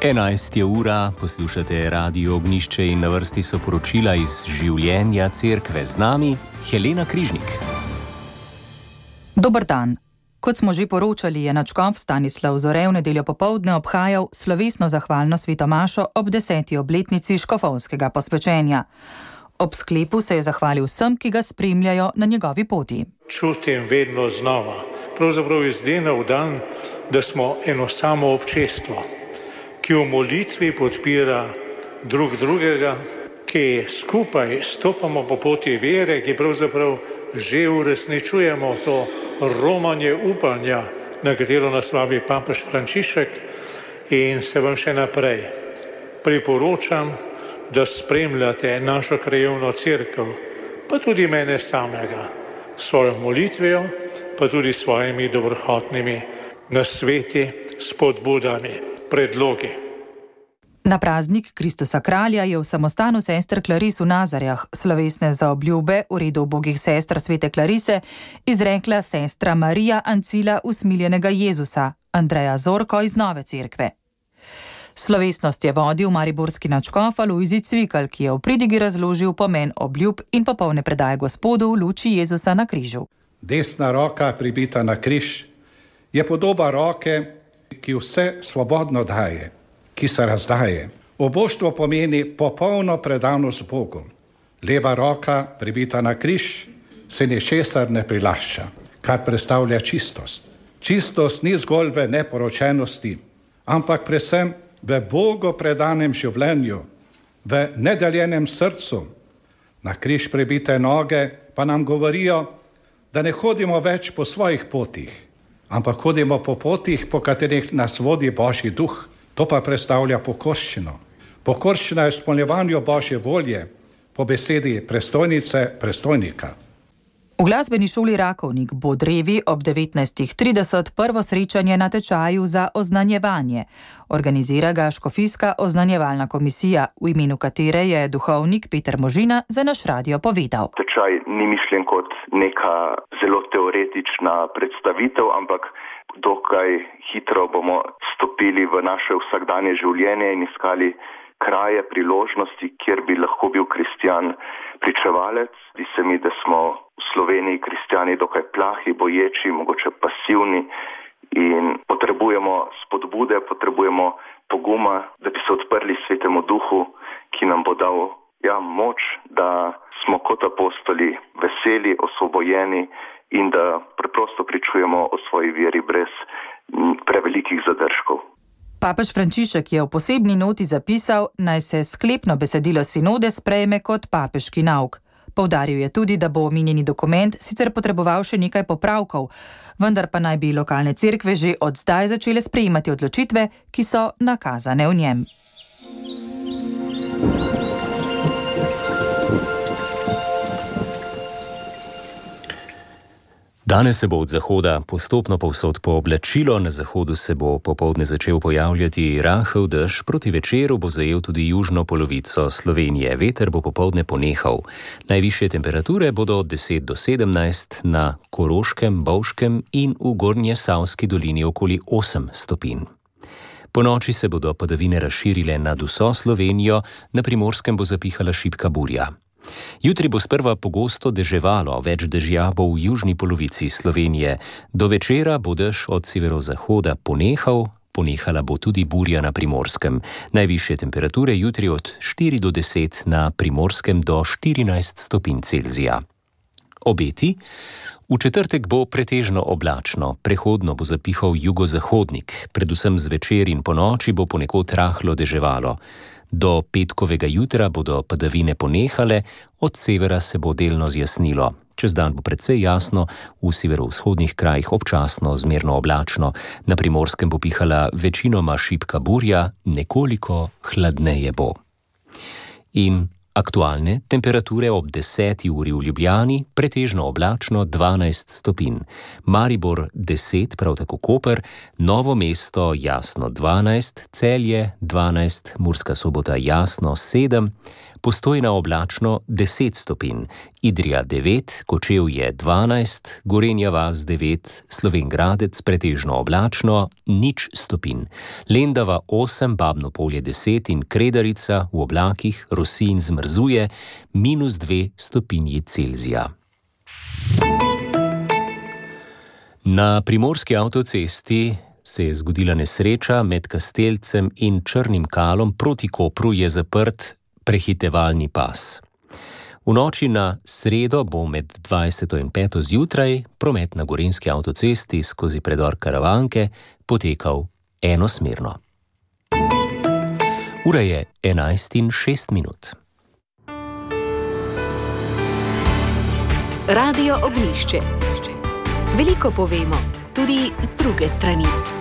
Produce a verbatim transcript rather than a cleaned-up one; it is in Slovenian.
enajsta je ura, poslušate Radio Ognjišče in na vrsti so poročila iz življenja cerkve. Z nami Helena Križnik. Dober dan. Kot smo že poročali, je nadškof Stanislav Zore v nedeljo popoldne obhajal slovesno zahvalno svetomašo ob deseti obletnici škofovskega posvečenja. Ob sklepu se je zahvalil vsem, ki ga spremljajo na njegovi poti. Čutim vedno znova, pravzaprav iz dneva v dan, da smo eno samo občestvo, ki v molitvi podpira drug drugega, ki skupaj stopamo po poti vere, ki pravzaprav že uresničujemo to romanje upanja, na katero nas vabi papež Frančišek, in se vam še naprej priporočam, da spremljate našo krajevno cerkev, pa tudi mene samega, svojo molitvijo, pa tudi svojimi dobrohotnimi nasveti, spodbudami, predlogi. Na praznik Kristusa kralja je v samostanu sester Klaris v Nazarjah slovesne zaobljube v redu ubogih sester svete Klarise izrekla sestra Marija Ancila usmiljenega Jezusa, Andreja Zorko iz Nove cerkve. Slovesnost je vodil mariborski nadškof Alojzij Cvikl, ki je v pridigi razložil pomen obljub in popolne predaje Gospodu v luči Jezusa na križu. Desna roka pribita na križ je podoba roke, ki vse svobodno daje, ki se razdaje. Oboštvo pomeni popolno predanost Bogu. Leva roka pribita na križ se ničesar ne prilašča, kar predstavlja čistost. Čistost ni zgolj v neporočenosti, ampak predvsem v Bogu predanem življenju, v nedeljenem srcu. Na križ pribite noge pa nam govorijo, da ne hodimo več po svojih potih, ampak hodimo po potih, po katerih nas vodi Božji duh. To pa predstavlja pokorščino. Pokorščina je izpolnjevanju Božje volje, po besedi prestojnice, prestojnika. V glasbeni šoli Rakovnik bo drevi ob devetnajstih trideset prvo srečanje na tečaju za oznanjevanje. Organizira ga škofijska oznanjevalna komisija, v imenu katere je duhovnik Peter Možina za naš radio povedal. Tečaj ni mišljen kot neka zelo teoretična predstavitev, ampak dokaj hitro bomo stopili v naše vsakdanje življenje in iskali kraje, priložnosti, kjer bi lahko bil kristjan pričevalec. Zdi se mi, da smo v Sloveniji kristjani dokaj plahi, boječi, mogoče pasivni in potrebujemo spodbude, potrebujemo poguma, da bi se odprli Svetemu Duhu, ki nam bo dal ja, moč, da smo kot apostoli veseli, osvobojeni in da preprosto pričujemo o svoji veri brez prevelikih zadržkov. Papež Frančišek je v posebni noti zapisal, naj se sklepno besedilo sinode sprejme kot papeški nauk. Poudaril je tudi, da bo omenjeni dokument sicer potreboval še nekaj popravkov, vendar pa naj bi lokalne cerkve že od zdaj začele sprejemati odločitve, ki so nakazane v njem. Danes se bo od zahoda postopno povsod pooblačilo, na zahodu se bo popoldne začel pojavljati rahel dež, proti večeru bo zajel tudi južno polovico Slovenije. Veter bo popoldne ponehal. Najvišje temperature bodo od deset do sedemnajst, na Koroškem, Bovškem in v Gornjesavski dolini okoli osem stopinj. Po noči se bodo padavine razširile nad vso Slovenijo, na Primorskem bo zapihala šibka burja. Jutri bo sprva pogosto deževalo, več dežja bo v južni polovici Slovenije. Do večera bo dež od severozahoda ponehal, ponehala bo tudi burja na Primorskem. Najvišje temperature jutri od štiri do deset, na Primorskem do štirinajst stopinj Celzija. Obeti? V četrtek bo pretežno oblačno, prehodno bo zapihal jugozahodnik, predvsem zvečer in ponoči bo ponekod rahlo deževalo. Do petkovega jutra bodo padavine ponehale, od severa se bo delno zjasnilo. Čez dan bo precej jasno, v severovzhodnih krajih občasno zmerno oblačno, na Primorskem bo pihala večinoma šibka burja, nekoliko hladneje bo. In aktualne temperature ob deseti uri v Ljubljani, pretežno oblačno dvanajst stopinj. Maribor deset, prav tako Koper, Novo mesto jasno dvanajst, Celje dvanajst, Murska Sobota jasno sedem, Postojna oblačno deset stopinj, Idrija devet, Kočevje dvanajst, Gorenja vas devet, Slovenj Gradec pretežno oblačno nič stopinj, Lendava osem, Babno Polje deset in Kredarica v oblakih rosi in zmrzuje minus dve stopinji Celzija. Na primorski avtocesti se je zgodila nesreča, med Kastelcem in Črnim Kalom proti Kopru je zaprt prehitevalni pas. V noči na sredo bo med dvajseto in peto zjutraj promet na gorenjski avtocesti skozi predor Karavanke potekal enosmerno. Ura je enajst in šest minut. Radio Ognjišče. Veliko povemo, tudi z druge strani.